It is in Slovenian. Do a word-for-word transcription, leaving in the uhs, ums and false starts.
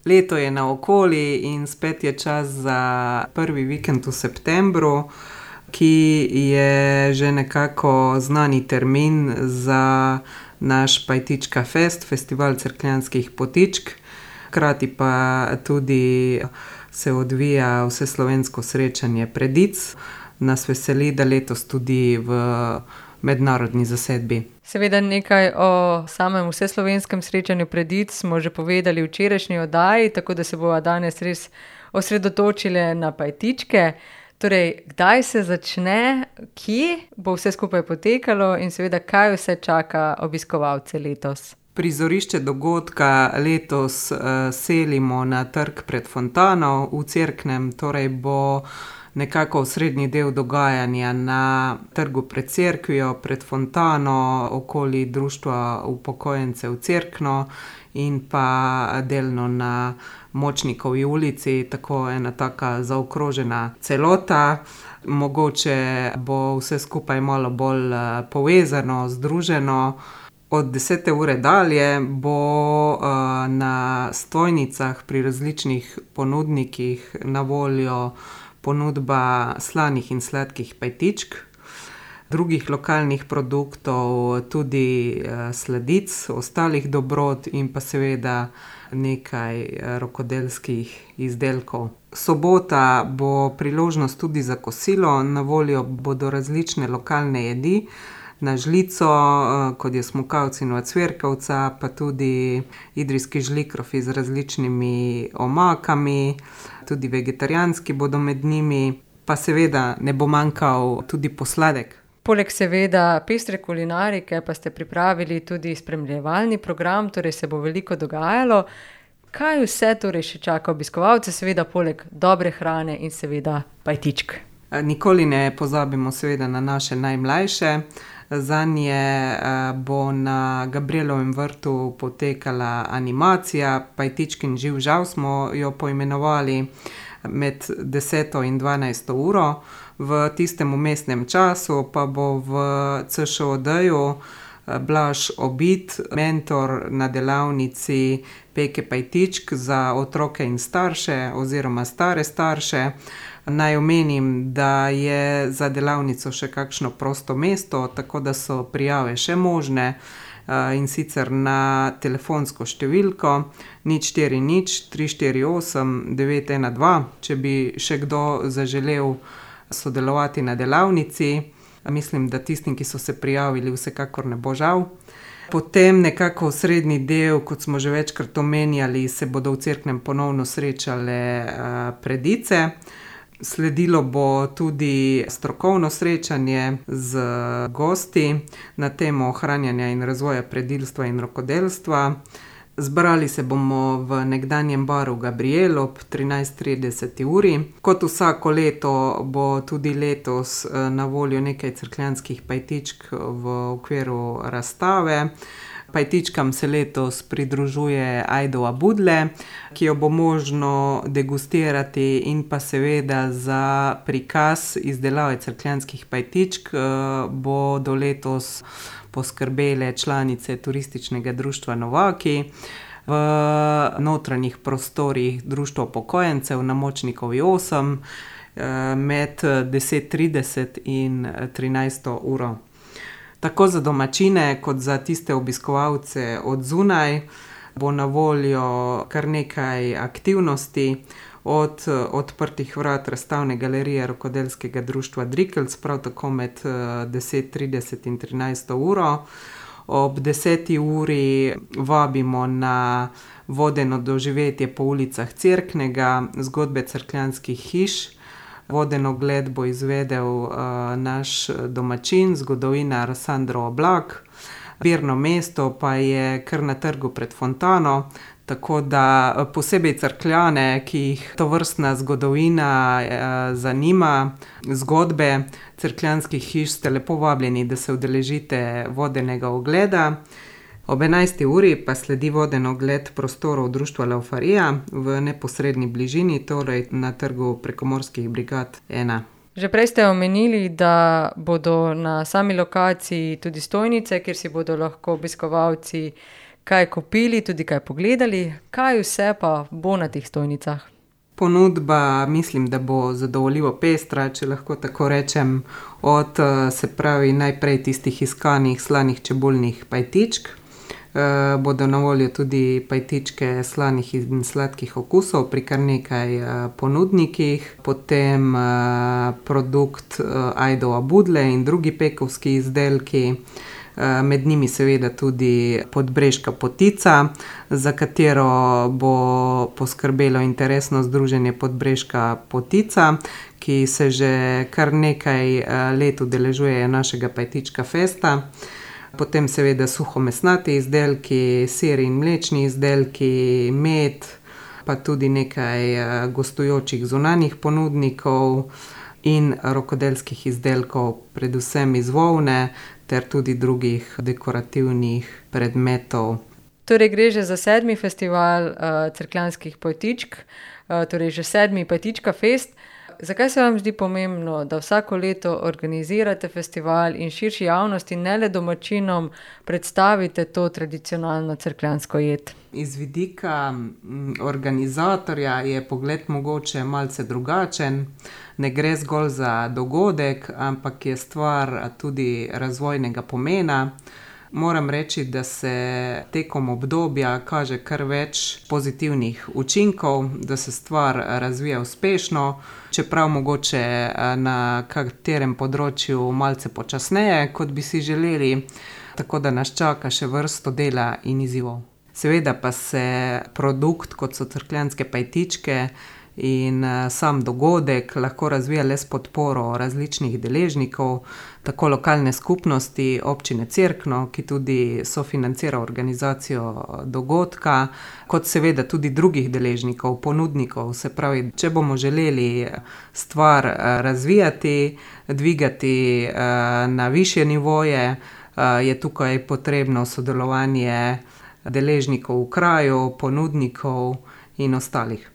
Leto je naokoli in spet je čas za prvi vikend v septembru, ki je že nekako znani termin za naš Pajtička fest, festival cerkljanskih potičk. Hkrati pa tudi se odvija vseslovensko srečanje predic. Nas veseli, da letos tudi v mednarodni zasedbi. Seveda nekaj o samem vseslovenskem srečanju predic smo že povedali v včerajšnji oddaji, tako da se bova danes res osredotočili na Pajtičke. Torej, kdaj se začne, kje bo vse skupaj potekalo in seveda, kaj vse čaka obiskovalce letos? Prizorišče dogodka letos uh, selimo na trg pred fontano v Cerknem, torej bo nekako osrednji del dogajanja na trgu pred cerkvijo, pred fontano, okoli društva upokojencev Cerkno in pa delno na Močnikovi ulici, tako ena taka zaokrožena celota. Mogoče bo vse skupaj malo bolj povezano, združeno. Od desete ure dalje bo uh, na stojnicah pri različnih ponudnikih na voljo ponudba slanih in sladkih pajtičk, drugih lokalnih produktov, tudi uh, sladic, ostalih dobrot in pa seveda nekaj uh, rokodelskih izdelkov. Sobota bo priložnost tudi za kosilo, na voljo bodo različne lokalne jedi, na žlico, kot je smukavec in ocvirkavca, pa tudi idrijski žlikrofi z različnimi omakami, tudi vegetarijanski bodo med njimi, pa seveda ne bo manjkal tudi posladek. Poleg seveda pestre kulinarike pa ste pripravili tudi spremljevalni program, torej se bo veliko dogajalo. Kaj vse torej še čaka obiskovalce, seveda poleg dobre hrane in seveda pajtičk? Nikoli ne pozabimo seveda na naše najmlajše. Zanje bo na Gabrielovem vrtu potekala animacija Pajtičkin živ žav, smo jo poimenovali, med deseto in dvanajsto uro. V tistem vmesnem času pa bo v C Š O D-ju Blaž Obid, mentor na delavnici peke pajtičk za otroke in starše oziroma stare starše. Naj omenim, da je za delavnico še kakšno prosto mesto, tako da so prijave še možne, in sicer na telefonsko številko nič štiri nič tri štiri osem devet ena dva, če bi še kdo zaželel sodelovati na delavnici. Mislim, da tistim, ki so se prijavili, vsekakor ne bo žal. Potem nekako srednji del, kot smo že večkrat omenjali, se bodo v Cerknem ponovno srečale predice. Sledilo bo tudi strokovno srečanje z gosti na temo ohranjanja in razvoja predilstva in rokodelstva. Zbrali se bomo v nekdanjem baru Gabriel ob trinajst trideset uri. Kot vsako leto bo tudi letos na voljo nekaj cerkljanskih pajtičk v okviru razstave. Pajtičkam se letos pridružuje Ajdova Budle, ki jo bo možno degustirati, in pa seveda za prikaz izdelave cerkljanskih pajtičk bodo letos poskrbele članice turističnega društva Novaki v notranjih prostorih društva upokojencev na Močnikovi osem med deset trideset in trinajsto uro. Tako za domačine kot za tiste obiskovalce od zunaj bo na voljo kar nekaj aktivnosti, od odprtih vrat razstavne galerije rokodelskega društva Drikelc, prav tako med deset trideset in trinajsto uro. Ob deseti uri vabimo na vodeno doživetje po ulicah Cerknega, zgodbe cerkljanskih hiš. Voden ogled bo izvedel uh, naš domačin, zgodovinar Sandro Oblak. Zbirno mesto pa je kar na trgu pred fontano, tako da posebej Cerkljane, ki jih tovrstna zgodovina uh, zanima, zgodbe cerkljanskih hiš, ste lepo vabljeni, da se udeležite vodenega ogleda. Ob enajsti uri pa sledi voden ogled prostorov društva Laufarija v neposredni bližini, torej na trgu Prekomorskih brigad ena. Že prej ste omenili, da bodo na sami lokaciji tudi stojnice, kjer si bodo lahko obiskovalci kaj kupili, tudi kaj pogledali. Kaj vse pa bo na teh stojnicah? Ponudba mislim, da bo zadovoljivo pestra, če lahko tako rečem, od se pravi najprej tistih iskanih slanih čebulnih pajtičk. Uh, bodo na voljo tudi pajtičke slanih in sladkih okusov pri kar nekaj uh, ponudnikih, potem uh, produkt uh, Ajdova Budle in drugi pekovski izdelki, uh, med njimi seveda tudi podbreška potica, za katero bo poskrbelo interesno združenje Podbreška potica, ki se že kar nekaj uh, let udeležuje našega Pajtička festa. Potem seveda suhomesnati izdelki, sir in mlečni izdelki, med, pa tudi nekaj gostujočih zunanjih ponudnikov in rokodelskih izdelkov, predvsem iz volne, ter tudi drugih dekorativnih predmetov. Torej gre že za sedmi festival uh, cerkljanskih pajtičk, uh, torej že sedmi Pajtička fest. Zakaj se vam zdi pomembno, da vsako leto organizirate festival in širši javnosti, ne le domačinom, predstavite to tradicionalno cerkljansko jed? Iz vidika organizatorja je pogled mogoče malce drugačen. Ne gre zgolj za dogodek, ampak je stvar tudi razvojnega pomena. Moram reči, da se tekom obdobja kaže kar več pozitivnih učinkov, da se stvar razvija uspešno, čeprav mogoče na katerem področju malce počasneje, kot bi si želeli, tako da nas čaka še vrsto dela in izzivov. Seveda pa se produkt, kot so cerkljanske pajtičke, in sam dogodek lahko razvija le s podporo različnih deležnikov, tako lokalne skupnosti, občine Cerkno, ki tudi sofinancira organizacijo dogodka, kot seveda tudi drugih deležnikov, ponudnikov. Se pravi, če bomo želeli stvar razvijati, dvigati na višje nivoje, je tukaj potrebno sodelovanje deležnikov v kraju, ponudnikov in ostalih.